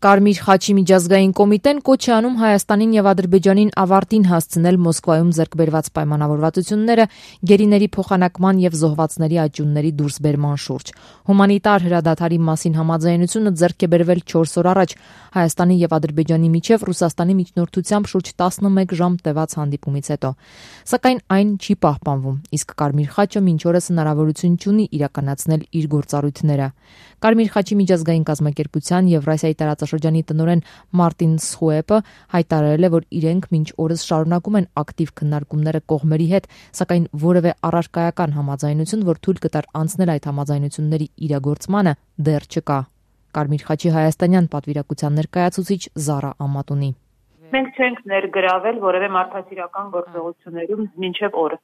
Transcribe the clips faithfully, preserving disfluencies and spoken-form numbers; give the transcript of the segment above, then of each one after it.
Կարմիր խաչի միջազգային կոմիտեն կոչ է անում Հայաստանին եւ Ադրբեջանին ավարտին հասցնել Մոսկվայում ձեռք բերված պայմանավորվածությունները գերիների փոխանակման եւ զոհվածների աճյունների դուրսբերման շուրջ։ Հումանիտար հրադադարի մասին համաձայնությունը ձեռք է բերվել չորս օր առաջ Հայաստանի եւ Ադրբեջանի միջև Ռուսաստանի միջնորդությամբ շուրջ տասնմեկ ժամ տևած հանդիպումից հետո։ Սակայն այն չի պահպանվում, իսկ Կարմիր խաչը մինչ օրս հնարավորություն չունի իրականացնել իր գործառույթները։ Կարմիր խաչի միջազգային կազմակերպության Եվրասիայի տարածաշրջանի տնօրեն Մարտին Սխուեպը հայտարարել է, որ իրենք մինչ օրս շարունակում են ակտիվ քննարկումները կողմերի հետ, սակայն որևէ առարկայական համաձայնություն, որ թույլ կտար անցնել այդ համաձայնությունների իրագործմանը, դեռ չկա։ Կարմիր խաչի հայաստանյան պատվիրակության ներկայացուցիչ Զարա Ամատունի. Մենք չենք ներգրավել որևէ մարդասիրական գործողություններում մինչև օրը։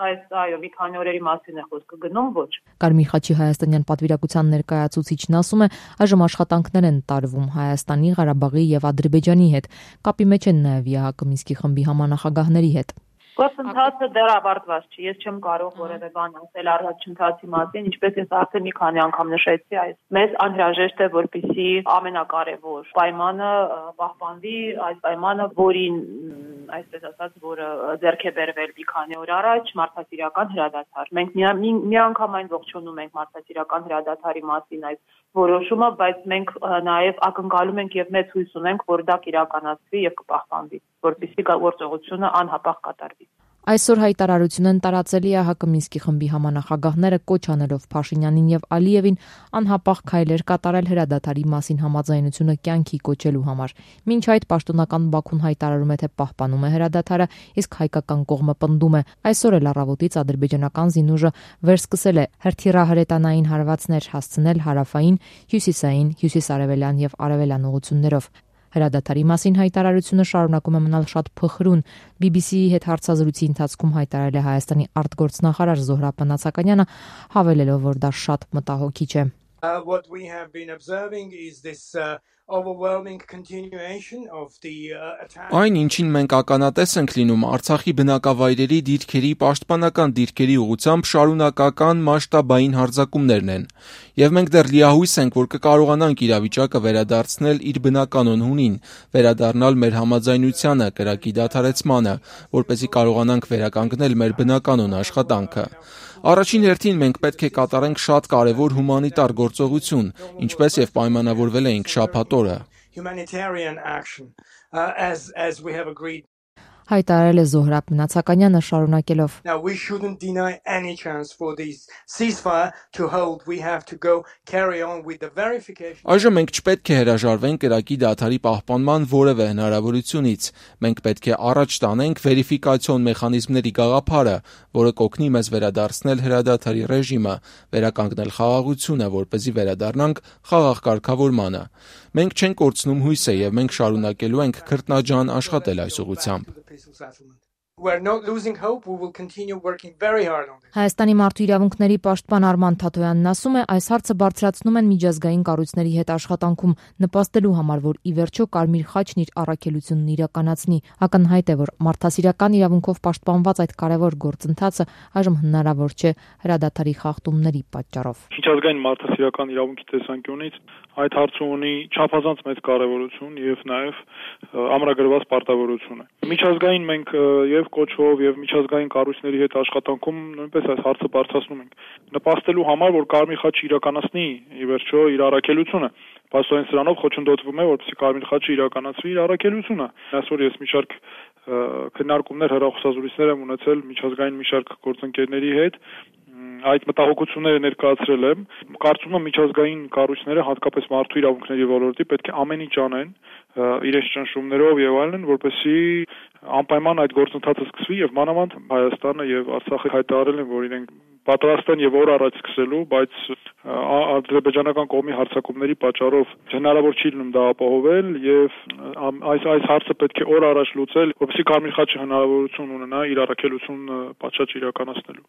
Այս այո, մի քանի օրերի մասին է խոսքը գնում, ոչ։ Կարմիր խաչի հայաստանյան պատվիրակության ներկայացուցիչն ասում է, այժմ աշխատանքներ են տարվում Հայաստանի, Ղարաբաղի եւ Ադրբեջանի հետ։ Կապի մեջ են նաեւ ԵԱՀԿ Մինսկի խմբի համանախագահների հետ։ Գործընթացը դեռ ավարտված չի, ես չեմ կարող որևէ բան ասել առաջընթացի մասին, ինչպես ես արդեն մի քանի անգամ նշեցի, այս մեզ անհրաժեշտ է, որպեսզի ամենակարևոր պայմանը պահպանվի, այս պայմանը, որին, այսպես ասած, որը ձեռք է բերվել մի քանի օր առաջ, մարդասիրական հրադադար։ Մենք միանգամայն ողջունում ենք մարդասիրական հրադադարի մասին այս որոշումը, բայց մենք նաև ակնկալում ենք եւ մեծ հույս ունենք, որ դա կիրականացվի եւ կպահպանվի, որպեսզի գործողությունը անհապաղ կատարվի։ Այսօր հայտարարություն են տարածել ԵԱՀԿ Մինսկի խմբի համանախագահները կոչ անելով Փաշինյանին եւ Ալիևին անհապաղ քայլեր կատարել հրադադարի մասին համաձայնությունը կյանքի կոչելու համար։ Մինչ այդ պաշտոնական Բաքուն հայտարարում է, թե պահպանում է հրադադարը, իսկ հայկական կողմը պնդում է։ Այսօր էլ առավոտից ադրբեջանական զինուժը վերսկսել է հրթիռահրետանային հարվածներ հասցնել հարավային, հյուսիսային, հյուսիսարևելյան եւ արևելյան ուղություններով։ Հրադադարի մասին հայտարարությունը շարունակում է մնալ շատ փխրուն։ բի բի սի-ի հետ հարցազրույցի ընթացքում հայտարարել է Հայաստանի արտգործնախարար Զոհրաբ Մնացականյանը, հավելելով, որ դա շատ մտահոգիչ է. Uh, what we have been observing is this uh, overwhelming continuation of the uh, attack. Այն ինչին մենք ականատես ենք լինում Արցախի բնակավայրերի դիրքերի պաշտպանական դիրքերի ուղղությամբ շարունակական մասշտաբային հարձակումներն են, եւ մենք դեռ լիահույս ենք, որ կկարողանանք իրավիճակը վերադարձնել իր բնականոն հունին, վերադառնալ մեր համաձայնությանը, կրակի դադարեցմանը, որպեսզի կարողանանք վերականգնել մեր բնականոն աշխատանքը։ Առաջին հերթին մենք պետք է կատարենք շատ կարևոր հումանիտար գործողություն, ինչպես եւ պայմանավորվել էինք շաբաթ օրը։ Humanitarian action, uh, as as we have agreed. Հայտարարել է Զոհրաբ Մնացականյանը շարունակելով. Now we shouldn't deny any chance for this ceasefire to hold. We have to go carry on with the verification. Այժմ մենք չպետք է հրաժարվենք կրակի դադարի պահպանման որևէ հնարավորությունից։ Մենք պետք է առաջ տանենք վերիֆիկացիոն մեխանիզմների գաղափարը, որը կօգնի մեզ վերադարձնել հրադադարի ռեժիմը, վերականգնել խաղաղությունը, որպեսզի վերադառնանք խաղաղ կարգավորմանը։ Մենք չենք կորցնում հույսը եւ մենք շարունակելու ենք քրտնաջան աշխատել այս ուղղությամբ։ We're not losing hope. We will continue working very hard on this. Հայաստանի մարդու իրավունքների պաշտպան Արման Թաթոյանն ասում է, այս հարցը բարձրացնում են միջազգային կառույցների հետ աշխատանքում, նպաստելու համար, որ ի վերջո Կարմիր խաչն իր առաքելությունն իրականացնի։ Ակնհայտ է, որ մարդասիրական իրավունքով պաշտպանված այդ կարևոր գործընթացը այժմ հնարավոր չէ հրադադարի խախտումների պատճառով։ Միջազգային մարդասիրական իրավունքի տեսանկյունից այդ հարցը ունի չափազանց մեծ կարևորություն եւ նաեւ ամրագրված պարտավորություն է։ Միջազգային մենք եւ կոչվով եւ միջազգային կառույցների հետ աշխատանքում նույնպես այս հարցը բարձրացնում ենք, նպաստելու համար, որ Կարմիր խաչը իրականացնի ի վերջո իր առաքելությունը։ Պաստորեն սրանով խոչընդոտվում է, որպեսզի Կարմիր խաչը իրականացվի իր առաքելությունը։ Այսօր ես մի շարք քննարկումներ, հեռախոսազրույցներ եմ ունեցել միջազգային մի շարք գործընկերների հետ, այդ մտահոգությունները ներկայացրել եմ։ Կարծում եմ միջազգային կառույցները, հատկապես մարդու իրավունքների ոլորտի, պետք է ամեն ինչ անեն իրենց ճնշումներով եւ այլն, որպեսզի անպայման այդ գործընթացը սկսվի եւ մանավանդ Հայաստանը եւ Արցախը հայտարարել են, որ իրենք պատրաստ են եւ օր առաջ սկսելու, բայց ադրբեջանական կողմի հարձակումների պատճառով հնարավոր չի լինում դա ապահովել եւ այս այս հարցը պետք է օր առաջ լուծել, որպեսզի Կարմիր խաչը հնարավորություն ունենա իր առաքելությունը պատշաճ իրականացնելու։